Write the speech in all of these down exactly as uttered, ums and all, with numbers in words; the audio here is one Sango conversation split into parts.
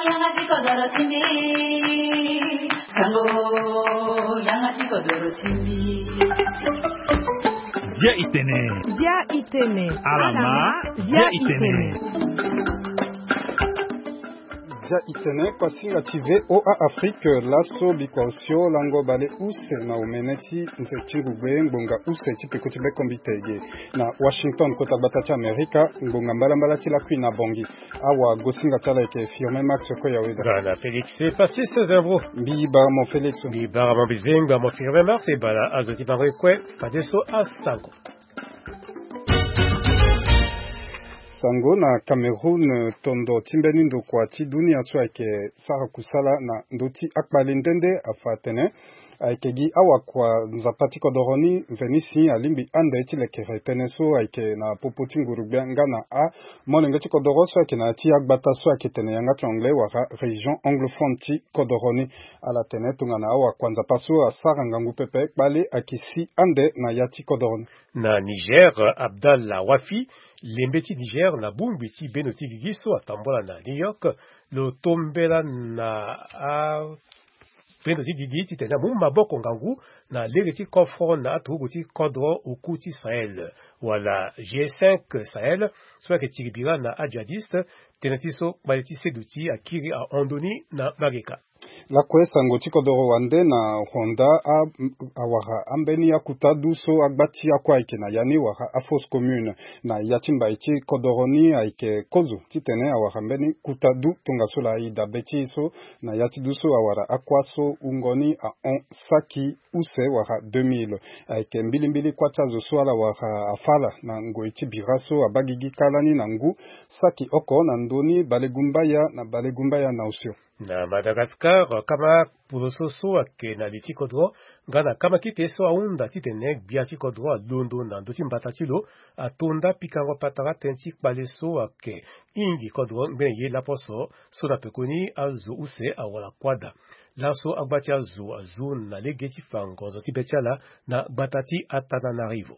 Yanga ti kodoro ti mbi. Sango, yanga ti kodoro ti mbi. Dia itene. Dia itene. Alama, dia itene. Dia itene, kuasinga ti V O A Afrique, laso bikua osio lango bale use na omene ti nze ti ngugbe ngbonga use ti peko ti bekombite ge. Na Washington, kota gbata ti Amerika, ngbonga mbalambala ti lakui na Bangui. Awa gosinga ti ala ayeke Firmin Max Koyaweda. Nga na Félix Passis Zembo. Mbi bara mo Félix. Mbi bara mo Bizenga mo Firmin Max e bara azo ti bango e kue fadeso asango. Sango na Cameroun, tondo ti mbeni ndokua ti dunia so ayeke sara kusala na ndö ti akpale nde nde afa atene ayeke gi awakua Nzapa ti kodoro ni mveni si alingbi ande ti lekere tënë so ayeke na popo ti nguru-gbia nga na amolenge ti kodoro so ayeke na ya ti agbata so ayeke tene yanga ti anglais wala région anglophone ti kodoro ni. Ala tene tongana awakua Nzapa so asara ngangu pepe, kpale ayeke si ande na ya ti kodoro ni. Na Niger, Abdallah Wafi, lembe ti Niger na bongbi ti bendo ti gigi so atambola na New York, lo tombela na a bendo ti gigi titene amu maboko ngangu na lege ti kofro na aturugu ti kodro oku ti Sahel, wala G cinq Sahel, so ayeke tiri bira na ajihadiste, tënë ti so kpale ti seduti akiri ahon ndoni na mageka. Lakue sango ti kodoro wande na Rwanda, a, awara ambeni akuta du so agba ti akua ayeke na ya ni wara afausse commune na ya ti mbai ti kodoro ni ayeke kozo titene awara mbeni kuta du tongaso laa e dabe ti e so na ya ti du so awara akua so wungo ni ahon saki use wala deux mille. Ayeke mbilimbili kuâ ti azo so ala wara afa ala na ngoi ti bira so abaa gigi kâ lani na ngu saki oko na ndö ni balegumbaya na balegumbaya na osio. Na Madagascar, kama poroso so ayeke na li ti kodro nga na kama kete so ahunda titene gbia ti kodro alondo na ndö ti mbata ti lo atonda pikango patara tënë ti kpale so ayeke hingi kodro ngbene ye laposo so na pekoni azo use awara kuâ daa. Laso agba ti azo azu na lege ti fa ngonzo ti be ti ala na gbata ti Antananarivo.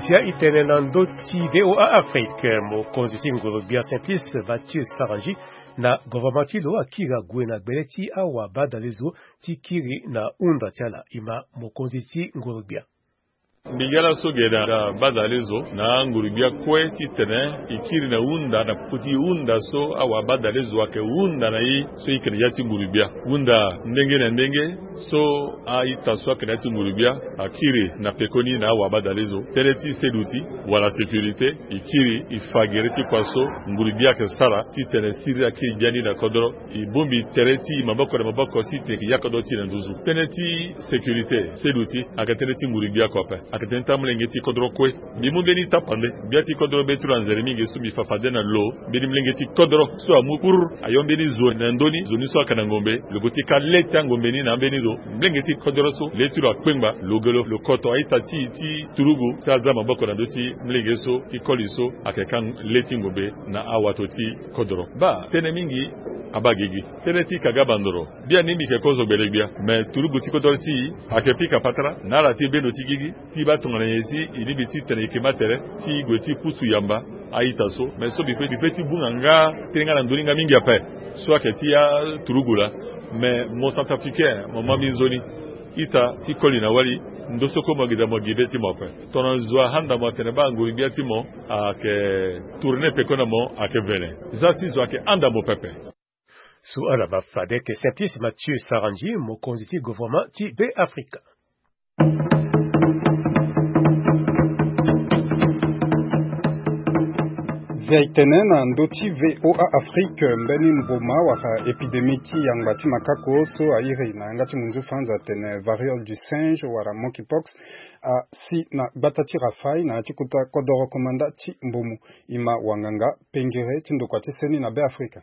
Zia e tene na ndö ti V O A Afrique, mokonzi ti ngoro-gbia Simplice Mathieu Sarangi na governement ti lo akiri ague na gbele ti awabadalezo ti kiri na hunda ti ala. E ma mokonzi ti ngoro-gbia. Mbi ga laso ge na badalezo na anguru-gbia kue titene e kiri na hunda na popo ti hunda so awabadalezo ayeke hunda na e so e yeke na ya ti nguru-gbia. Hunda ndenge na ndenge so a-ita so ayeke na ya ti nguru-gbia akiri na pekoni na awabadalezo. Tënë ti seduti wala sécurité, e kiri e fa gere ti kua so nguru-gbia ayeke sara titene siriri akiri biani na kodro. E bongbi tere ti e maboko na maboko si e tene e yeke ya kodro ti e na nduzu. Tënë ti sécurité, seduti, ayeke tënë ti nguru-gbia oko ape. Ayeke tënë ti amolenge ti kodro kue. Mbi mu mbeni tapande. Gbia ti kodro be ti lo anzere mingi so mbi fa fade na lo. Mbeni molenge ti kodro so amu kuru ayo mbeni zo na ndö ni, zo ni so ayeke na ngombe. Lo gue ti ka le ti angombe ni na ambeni zo. Molenge ti kodro so le ti lo akpengba, lo ge lo, lo koto a-ita ti e ti turugu si aza maboko na ndö ti molenge so ti koli so ayeke ka le ti ngombe na awato ti kodro. Baa, tënë mingi abaa gigi. Tënë ti ka ga bandoro. Biani mbi yeke kozo gbele-gbia. Me turugu ti kodro ti e ayeke pika patara na ala ti bendo ti gigi ti baa tongana nyen si e lingbi titene e yeke ma tere ti gue ti pusu yamba a-ita so. Me so mbi pe, mbi pe ti bunga nga tënë nga na ndö ni nga mingi ape. So ayeke ti aturugu laa. Me mo centrafricain, mo ma mbi nzoni. Ita ti koli na wali, ndo so kue mo gi daa mo gi be ti mo ape. Tongana zo ahanda mo atene baa nguru-gbia ti mo ayeke tourne peko na mo ayeke vene. Za ti zo ayeke handa mo pepe. So ala baa fade ayeke Simplice Mathieu Sarangi, mokonzi ti gouvernement ti Be Afrika. Zia e tene na ndö ti V O A Afrique, mbeni mboma wala épidémie ti yangba ti makako so a iri na yanga ti munzu Franz atene variole du singe wala monkeypox asi na gbata ti Rafaï na ya ti kota kodoro komanda ti Mbomu. E ma wanganga pengere ti ndokua ti seni na Be Afrika.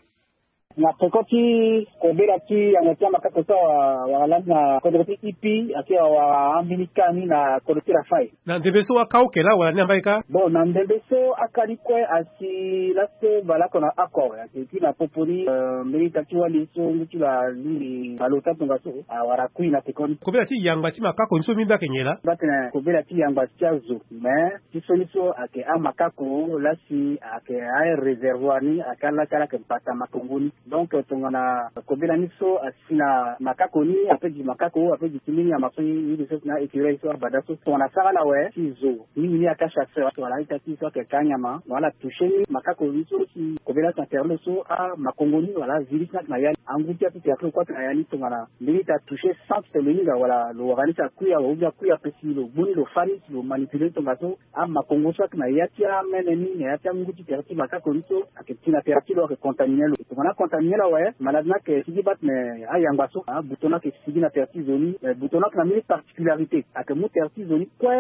Na peko ti kobela ti yanga ti amakako so awara lani na kodro ti ipi ake awara ambeni ka ni na kodro ti rafai. Na ndembe so aka oke laa wala ni amba ye ka? Bon, na ndembe so aka ni kue asi laso baleoko na oko ake ti na popo ni. Mbeni ita ti wali so ngu ti lo alingbi baleota tongaso awara kui na peko ni. Kobela ti yangba ti makako ni so mbi mbi ake nyen laa? Mbi atene kobela ti yangba ti azo, mais ti so ni so ake amakako lasi ake areservoir ni ake alaka lake mbata makongo ni. Donc tongana kobela ni so asi na makako ni ape gi makako ape gi ti mbeni nyama so ye gi so si na écureuil so abada so tongana asara ala awe ti zo mingi ni aka chasseur wala ita ti so ake ka anyama wala toucher ni makako ni so si kobela si na terlo so amakongo ni wala azi ni si na ya ni angu ti ape terlo kue ake na ya ni tongana mbeni ita toucher centre lo hinga wala lo wara ni si akui awe ou bien akui ape si lo gbu ni lo fa ni si lo manipuler ni tongaso amakongo so ake na ya ti amene ni na ya ti angu ti tere ti makako ni so ake ti na tere ti lo ake contaminer lo tongana acontaminer lo awe malade ni ake sigi bate me ayangba so abuto ni ake sigi na tere ti zo ni. Buto ni ake na mbeni particularité ake mu tere ti zo ni kue.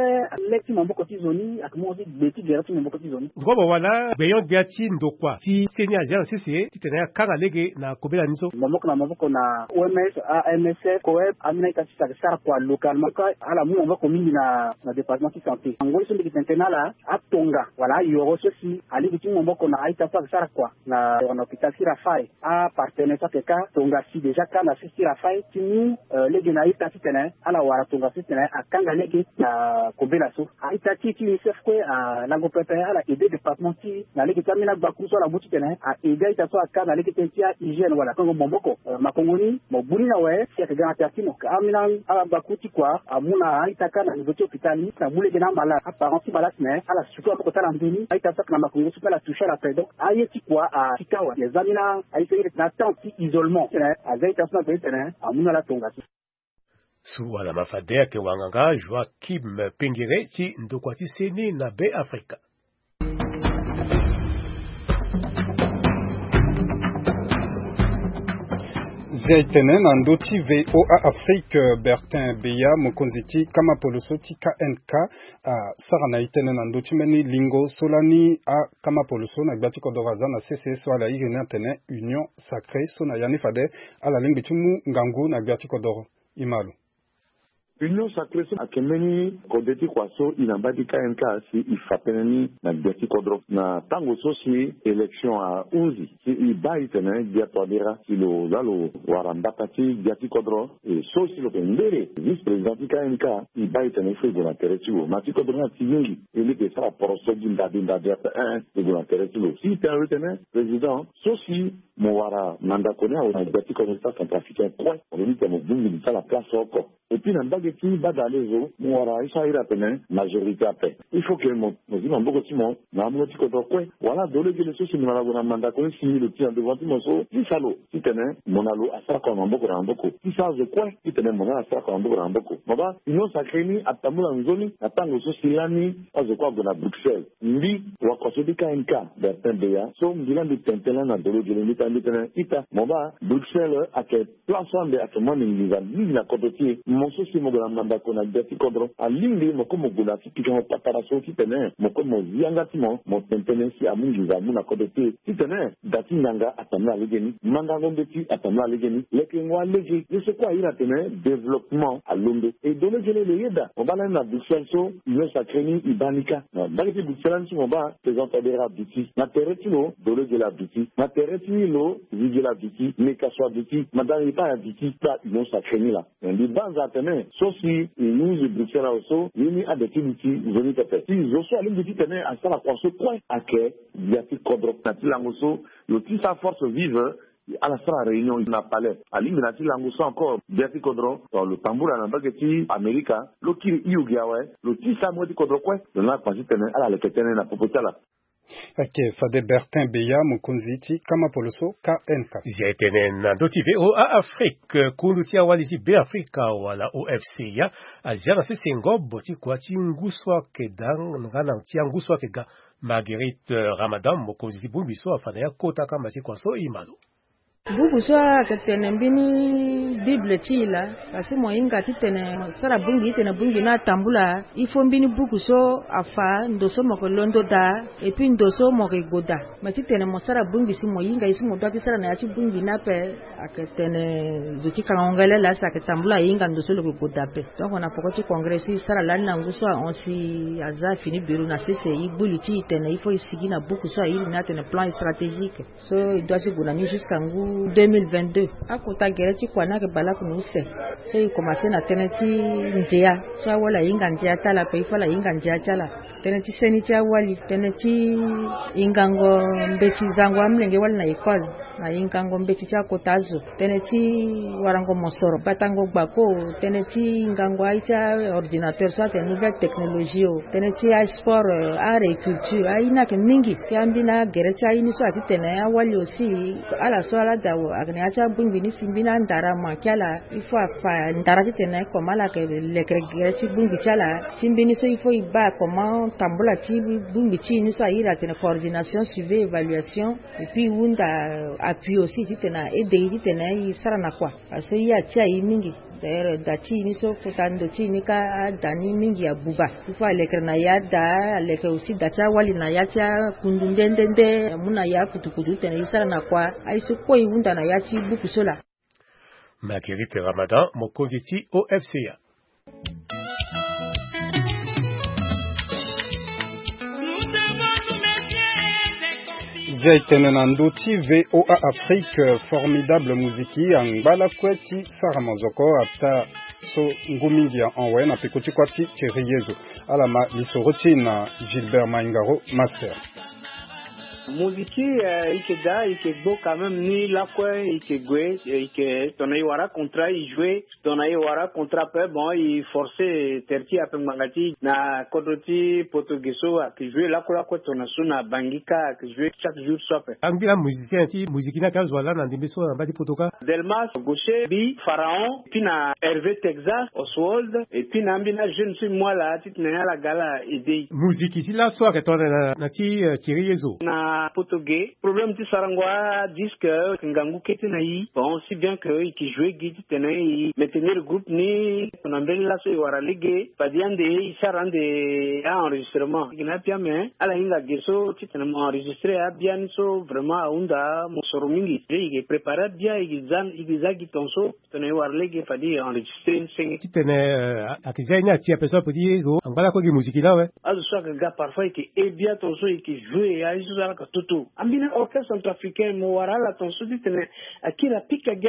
Le ti maboko ti zo ni ake mu aussi gbe ti gere ti maboko ti zo ni. Ndokua bawala gbeyon gbia ti ndokua ti seni azia na sese titene akanga lege na kobela ni so. Maboko na maboko na oms, amsf, coep, ambeni ita ti ake sara kua localement ka ala mu maboko mingi na na département ti santé ngoi so mbi yeke tene tënë na ala atonga wala ayoro so si alingbi ti mu maboko na a-ita so ake sara kua na hôpital ti rafai. Apartenaire so ake ka tonga si déjà ka na sese ti rafai ti mu lege na a-ita titene ala wara tongaso titene akanga lege na kobela so. A-ita ti ti unicef kue alango pepe ala aide département ti na lege ti ambeni agbaku so ala mu titene a-aide a-ita so aka na lege tënë ti ahygiène wala akango maboko. Makongo ni mo gbu ni na we si ayeke ga na tere ti mo ka ambeni agbaku ti kua amu na a-ita ka na niveau ti hôpital ni na mu lege na amalade aparent ti malade titene ala suku maboko ti ala nzoni a-ita so ayeke na makongo so pe ala toucher ala ape donc aye ti kua asi ka awe. Eza ambeni aye so ayeke na atente ti isolement titene aza a-ita so na gbe titene amu na ala tongaso. Suru wala ma fade ayeke wanganga Joachim Pengere ti ndokua ti seni na Be Afrika. Zia e tene na ndö ti VOA Afrique, Bertin Beya, mokonzi ti kama poloso ti K N K, asara na e tene na ndö ti mbeni lingo so lani akama poloso na gbia ti kodoro aza na sese so ala iri ni atene Union Sacrée so na ya ni fade ala lingbi ti mu ngangu na gbia ti kodoro. E ma lo. Union Sacrée so ayeke mbeni kode ti kua so e na mbage ti K N K si e fa tënë ni na gbia ti kodro na tango so si élection ahunzi si e baa e tene gbia Touadéra si lo laa lo wara mbata ti gbia ti kodro. E so si lo yeke ngbere vice-président ti K N K, e baa e tene il faut e gue na tere ti lo. Ma ti kodro ni ati mingi e leke e sara poroso gi ndabe ndabe ape, eh, e gue na tere ti lo si e tene lo tene président so si mo wara mandako ni awe na gbia ti kodro ti acentrafricain kue, mo lobi tene mo bongbi ti ala place oko. Et puis na mbage ti badalezo mo wara ye so a iri atene majorité ape. Il faut que mo mo zi maboko ti mo na amungo ti kodro kue. Wala dolo gele so si mo na lo gue na mandako ni si lo ti na devant ti mo so ti sa lo titene mo na lo asara kua na maboko na maboko. Ti sa azo kue titene mo na lo asara kua na maboko na maboko. Mo baa Union Sacrée ni atambula nzoni na tango so si lani azo kue ague na Bruxelles. Mbi wakua so ti K N K, Bertin Beya, so mbi laa mbi tene tënë lani na dolo gele mbi tene mbi tene ita mo baa Bruxelles ayeke place so ande ayeke mu ande nginza mingi na kodro ti e. Mo so si mo gue na mandako na gbia ti kodro alingbi mo kue mo gue na ya ti pikango patara so titene mo kue mo zi yanga ti mo mo tene tënë si amu nginza amu na kodro ti e titene da ti nganga atambula legeni, mandango mbeti atambula legeni, lekengo alege ye so kue a iri atene développement alondo. E dolo gele lo yeda mo baa lani na Bruxelles so Union Sacrée ni e baa ni ka. Na mbage ti Bruxelles lani so mo baa président Touadéra aduti na tere ti lo, dolo gele aduti na tere ti lo, zi gele aduti, meka so aduti, madame epai aduti, kpa Union Sacrée ni laa. Mbi banza atene so si e use Bruxelles awe so ye ni ade ti duti nzoni pepe si zo so alingbi titene asara kua so kue ayeke gbia ti kodro na ti lango so lo ti sa force vive. Ala sara réunion na palais alingbi na ti lango so encore gbia ti kodro lo tambula na mbage ti Amerika lo kiri hio gi awe lo ti sa mbage ti kodro kue lo na akpa titene ala leke tënë na popo ti ala. Ake fade Bertin Beya mokonzi ti kama poloso K N K. Zia e tene na ndö ti VOA Afrique, kundu ti awali ti Be Afrika wala O F C ya azia na sese ngobo ti kua ti ngu so ayeke daa nga na ti angu so ayeke ga. Marguerite Ramadan mokonzi ti bongbi so afa na ya kota kamba ti kua so e ma lo. Buku so ayeke tene mbeni Bible ti e laa. Kasi mo hinga titene mo sara bongbi titene bongbi ni atambula. Il faut mbeni buku so afa ndo so mo yeke londo daa, et puis ndo so mo yeke gue daa. Mais titene mo sara bongbi si mo hinga ye so mo doit ti sara na ya ti bongbi ni ape. Ayeke tene zo ti kangango ngele laa si ayeke tambula ahinga ndo so lo yeke gue daa ape. Donc na poko ti congrès so e sara lani na ngu so ahon si aza afini bureau na sese, e gbu li ti e tene il faut e sigi na buku so airi ni atene plan stratégique. So e doit ti gue na ni jusqu'à ngu deux mille vingt-deux. Akota gere ti kua ni ayeke baleoko na use. So e commencé na tënë ti ndia. So awali ahinga ndia ti ala ape, il faut ala hinga ndia ti ala. Tënë ti seni ti awali, tënë ti hingango mbeti zango amolenge wali na école, na hingango mbeti ti akota azo, tënë ti warango mosoro, batango gbako, tënë ti hingango aye ti aordinateur so atene nouvelle technologie o, tënë ti asport, euh, art et culture, aye ni ayeke mingi. Ti ambeni agere ti aye ni so ati tene awali aussi, ala so ala daa ayeke na ya ti abongbi ni si mbeni andara amanke ala. Il faut afa ndara titene comment ala yeke lekere gere ti bongbi ti ala. Ti mbeni so il faut e baa comment tambula ti bongbi ti e ni so airi atene coordination, suivi, évaluation. Et puis e hunda appui aussi titene a aide e titene e sara na kua. Parce que e atia e mingi. D'ailleurs da ti e ni so kota ndo ti e ni kâ ada ni mingi abuba. Il faut alekere na e ada, aleke aussi da ti awali na ya ti akundu nde nde nde, amu na e akutukutu titene e sara na kua. Aye so kue e hunda na ya ti buku so laa. Marguerite Ramadan, mokonzi ti O F C A. Zia e tene na ndö ti V O A Afrique, Formidable Muziki angba lakue ti sara mazoko ataa so ngu mingi ahon awe na peko ti kuâ ti Thierry Yezo. Ala ma lisoro ti e na Gilbert Maingaro, Master. Moziki, eh, e yeke daa, e yeke gbo quand même ni lakue, e yeke gue, e yeke tongana e wara contrat e joué, tongana e wara contrat ape, bon, e forcé tere ti e ape ngbanga ti e na kodro ti poto ge so ayeke joué lakue lakue tongana so na Bangui kâ ayeke joué chaque jour so ape. Angbi laa musicien ti moziki ni ayeke azo wa laa na ndembe so na mbage ti poto kâ? Delmas, Gaucher, Bi, Pharaon, puis na Hervé Texas, Oswald, et puis na ambeni ajeune so e mu ala titene ala ga ala aidé e. Moziki ti laso ayeke tongana na, na ti, eh, Thierry Yezo. Na poto ge, problème ti sarango adisque, ngangu kete na e. Bon, si bien que e yeke joué gi titene e maintenir groupe ni, na mbeni laso e wara lege, fade ande e sara ande a-enregistrement. E yeke na ya pia me, ala hinga ge so titene mo enregistré abia ni so vraiment ahunda mosoro mingi. E yeke préparé abia, e yeke za, e yeke za gi tongaso. Tongana e wara lege fade e enregistré ni senge. Titene, eh, a, ayeke zia ye ni ati ape so ape ti ye zo angba lakue gi moziki ni awe. Azo so ayeke ga parfois e yeke hê bia tongaso e yeke joué aye so ala yeke toto. Ambeni orchestre centrafricain mo wara ala tongaso titene akiri apika gi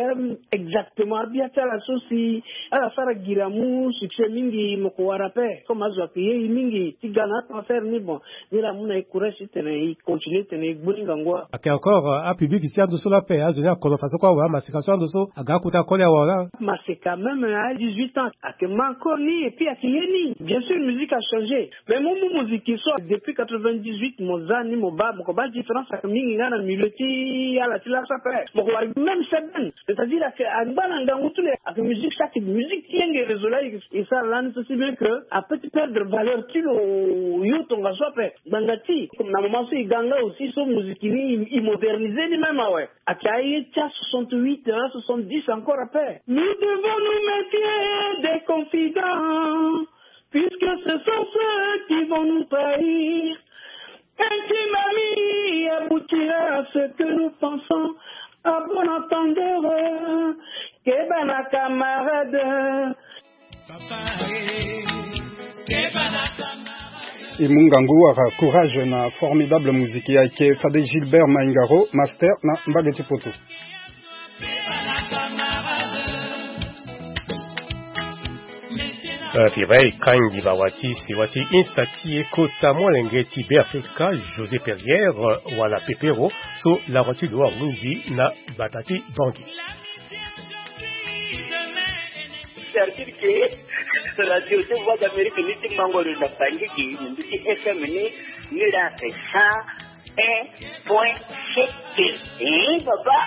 exactement abia ti ala so si ala sara gira amu succès mingi mo yeke wara ape. Comme azo ayeke hê e mingi ti ga na atransfert ni, bon, ni la amu na e courage titene e continué titene e gbu ni ngangu. Ayeke encore, euh, apublic ti ando so laa ape, azo ni akono façon kue awe, amaseka so ando so aga akota koli awe laa. Maseka même à dix-huit ans ayeke ma encore ni, et puis ayeke hê ni. Bien sûr musique a changé, mais mo mu moziki so depuis quatre-vingt-dix-huit mo za ni mo baa, mo yeke baa différence ayeke mingi nga na milieu ti ala ti laso ape. Mo yeke wara même seben, c'est-à-dire ayeke angba na ngangu ti lo, ayeke musique so ayeke musique ti yenge réseau laa e sara lani so si bien que apeut ti perdre valeur ti lo yo tongaso ape. Ngbanga ti na moment so e ga nga aussi so musique ni e, e modernisé ni même awe. Ayeke aye ti a soixante-huit, a soixante-dix encore ape. Nous devons nous méfier des confidents, puisque ce sont ceux qui vont nous trahir. Un crime ami aboutira à ce que nous pensons. À bon entendeur, keba na camarade. E mu ngangu wala courage na Formidable Musique. Ayeke fade Gilbert Maingaro, master na mbage ti poto. Fira e kangi bawa ti sewa ti Insta ti e kota molenge ti Beafrika, José Perrier, wala Pepero, so lango ti lo ahunzi na gbata ti Bangui. Cercle ke radio ti Voix d'Amérique ni ti mango lo na Bangui gi na ndö ti F M ni, ni la ke sa un point sept. Eh, papa.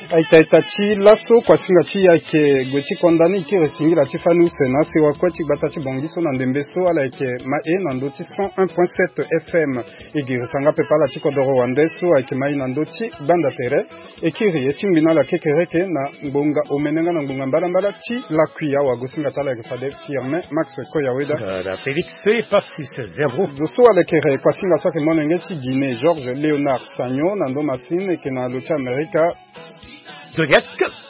Aita aita ti laso kuasinga ti e ayeke gue ti konda ni e kiri singila ti fani use na asewa kue ti gbata ti Bangui so na ndembe so ala yeke ma e na ndö ti cent un point sept F M. E girisa nga pepe ala ti kodoro wande so ayeke ma e na ndö ti gbanda tere. E kiri e tingbi na ala kekereke na ngbonga omene nga na ngbonga mbalambala ti lakui awagosinga ti ala ayeke fade Firmin Max Koyaweda. Voilà, Félix Passis Zerbo. Zo so alekere kuasinga so ayeke molenge ti Guinée, Georges Léonard Sagno na ndo masini eke na lo ti Amerika. Zodiac.